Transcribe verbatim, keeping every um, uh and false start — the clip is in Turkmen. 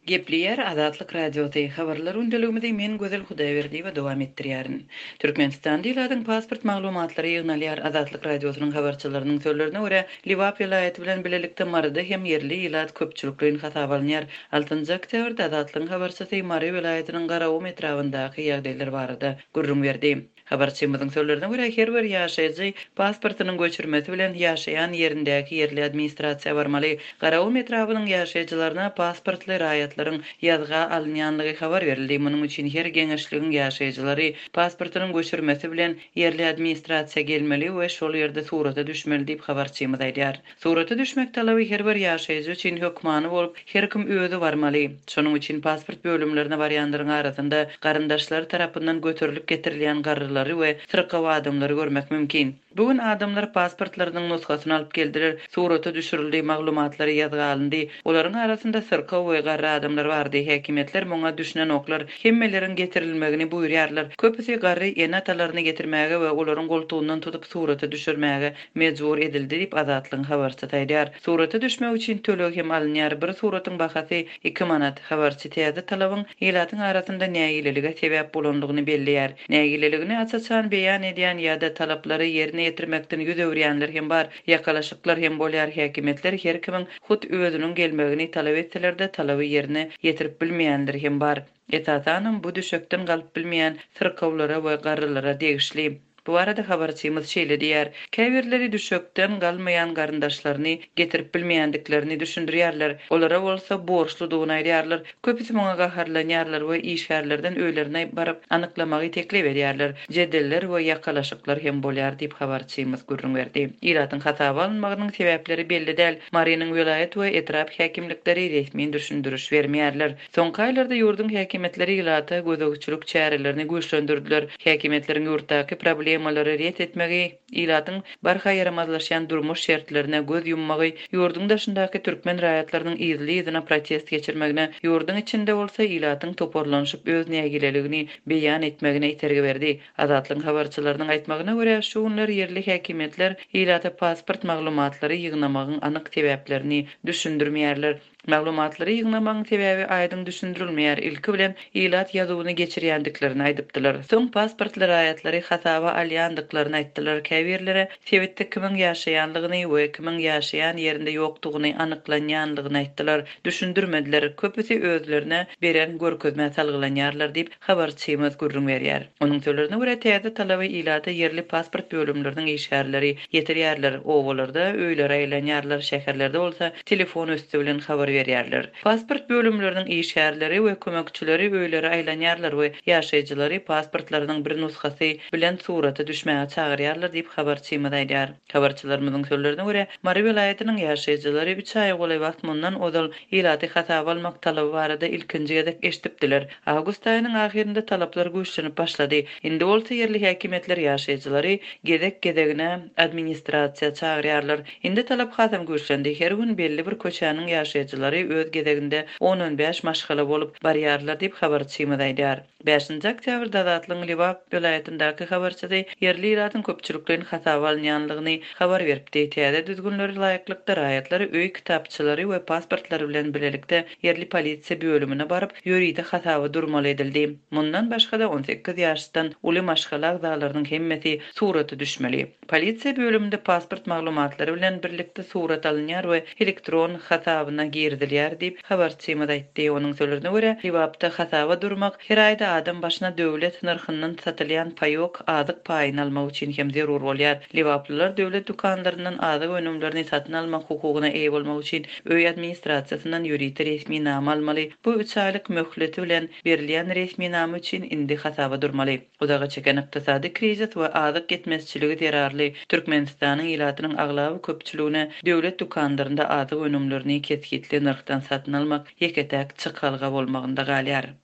Gepleýär Azatlyk Radiosy, Habarlar gündeligimizi men Gözel Hudaýberdiýewa dowam etdirýärin. Türkmenistanda ilatyň pasport maglumatlary ýygnalýar. Azatlyk Radiosynyň habarçylarynyň sözlerine görä, Lebap welaýaty bilen bilelikde Maryda hem ýerli ilat köpçülikleýin hasaba alynýar. Altynjy oktýabrda Azatlygyň habarçysy Mary welaýatynyň Garagum etrabyndaky ýagdaýlar barada gürrüň berdi. Habarçymyzyň sözlerine görä, her bir ýaşaýjy pasportynyň göçürmesi bilen ýaşaýan ýerindäki ýerli administrasiýa barmaly. Garagum etrabynyň ýaşaýjylaryna pasportly raýatlaryň ýazga alynýanlygy habar berildi. Munuň üçin her geňeşligiň ýaşaýjylary pasportynyň göçürmesi bilen ýerli administrasiýa gelmeli we şol ýerde surata düşmeli diýip habarçymyz aýdýar. Surata düşmek talaby her bir ýaşaýjy üçin hökmany bolup, her kim özi barmaly. Şonuň üçin pasport bölümlerine barýanlaryň arasynda garyndaşlary tarapyndan göterilip getirilýän garrylary we syrkaw adamlary görmek mümkin. Bu gün adamlar pasportlarynyň nusgasyny alyp geldiler, surata düşürildi, maglumatlary ýazga alyndy. Olaryň arasynda syrkaw we garry adamlar bardy. Häkimiýetler muňa düşünenoklar, hemmeleriň getirilmegini buýurýarlar. Köpüsi garry ene-atalaryny getirmäge we olaryň goltugyndan tutup surata düşürmäge mejbur edildi diýip Azatlygyň habarçysy aýdýar. Surata düşmek üçin töleg hem alynýar. Bir suratyň bahasy iki manat. Habarçy täze talabyň ilatyň arasynda nägilelige sebäp bolanlygyny belleýär. Nägileligini aç-açan beýan edýän ýa-da talaplary ýerine ýetirmekden ýüz öwürýänler hem bar. Ýakalaşyklar hem bolýar. Häkimiýetler her kimiň hut özüniň gelmegini talap etseler-de talaby ýerine ýetirip bilmeýänler hem bar. Esasanam bu düşekden galyp bilmeýän syrkawlara we garrylara degişli. Bu arada habarçymyz şeýle diýär. Käbirleri düşekden galmaýan garyndaşlaryny getirip bilmeýändiklerini düşündirýärler. Olara bolsa borçludygyny aýdýarlar. Köpüsi muňa gaharlanýarlar we işgärlerden öýlerine baryp anyklamagy teklip edýärler. Jedeller we ýakalaşyklar hem bolýar diýip habarçymyz gürrüň berdi. Ilatyň hasaba alynmagynyň sebäpleri belli däl. Marynyň welaýat we etrap häkimlikleri resmi düşündiriş bermeýärler. Soňky aýlarda ýurduň häkimiýetleri ilata gözegçilik çärelerini güýçlendirdiler. Häkimiýetleriň ýurtdaky problemalary ret etmegi, ilatyň barha ýaramazlaşýan durmuş şertlerine göz ýummagy, ýurduň daşyndaky türkmen raýatlarynyň yzly-yzyna protest geçirmegine, ýurduň içinde bolsa ilatyň toparlanyşyp öz nägileligini beýan etmegine itergi berdi. Azatlygyň habarçylarynyň aýtmagyna görä, şu günler ýerli häkimiýetler ilata pasport maglumatlary ýygnamagyň anyk sebäplerini düşündirmeýärler. Maglumatlary ýygnamagyň sebäbi aýdyň düşündirilmeýär. Ilki bilen ilat ýazuwyny geçirýändiklerini aýdypdylar. Soň pasportly raýatlary hasaba alýandyklaryny aýtdylar. Käbirlere sebitde kimiň ýaşaýanlygyny we kimiň ýaşaýan ýerinde ýokdugyny anyklanýanlygyny aýtdylar. Düşündirmediler. Köpüsi özlerine beren görkezmä salgylanýarlar diýip habarçymyz gürrüň berýär. Onuň sözlerine görä täze talaby ilata ýerli pasport bölümleriniň işgärleri ýetirýärler. Obalarda öýlere aýlanýarlar, şäherlerde bolsa telefon üsti bilen habar berýärler. Pasport bölümleriniň işgärleri we kömekçileri öýlere aýlanýarlar we ýaşaýjylary pasportlarynyň bir nusgasy bilen surata düşmäge çagyrýarlar diýip habarçymyz aýdýar. Habarçylarymyzyň sözlerine görä, Mary welaýatynyň ýaşaýjylary üç aý golaý wagt mundan ozal ilaty hasaba almak talaby barada ilkinji gezek eşidipdiler. Awgust aýynyň ahyrynda talaplar güýçlenip başlady. Indi bolsa ýerli häkimiýetler ýaşaýjylary gezek-gezegine administrasiýa çagyrýarlar. Indi talap hasam güýçlendi. Her gün belli bir köçäniň ýaşaýjylary öz gezeginde on-on bäş maşgala bolup barýarlar diýip habarçymyz aýdýar. Bäşinji oktýabrda Azatlygyň Lebap welaýatyndaky habarçysy ýerli ilatyň köpçülikleýin hasaba alynýanlygyny habar beripdi. Täze düzgünlere laýyklykda raýatlar öý kitapçylary we pasportlary bilen bilelikde ýerli polisiýa bölümine baryp ýörite hasaba durmaly edildi. Mundan başga-da on sekiz ýaşdan uly maşgala agzalarynyň hemmesi surata düşmeli. Polisiýa bölüminde pasport maglumatlary bilen birlikde surat alynýar we elektron hasabyna girizilýär diýip habarçymyz aýtdy. Onuň sözlerine görä, Lebapda hasaba durmak her aýda adam başyna döwlet nyrhyndan satylýan paýok azyk paýyny almak üçin hem zerur bolýar. Lebaplylar döwlet dükanlaryndan azyk önümlerini satyn almak hukugyna eýe bolmak üçin öý administrasiýasyndan ýörite resminama almaly. Bu üç aýlyk möhleti bilen berilýän resminama üçin indi hasaba durmaly. Uzaga çeken ykdysady krizis we azyk ýetmezçiligi zerarly Türkmenistanyň ilatynyň aglaba köpçüligine döwlet dükanlarynda azyk önümlerini kesgitli nyrhdan satyn almak ýeke-täk çykalga bolmagynda galýar.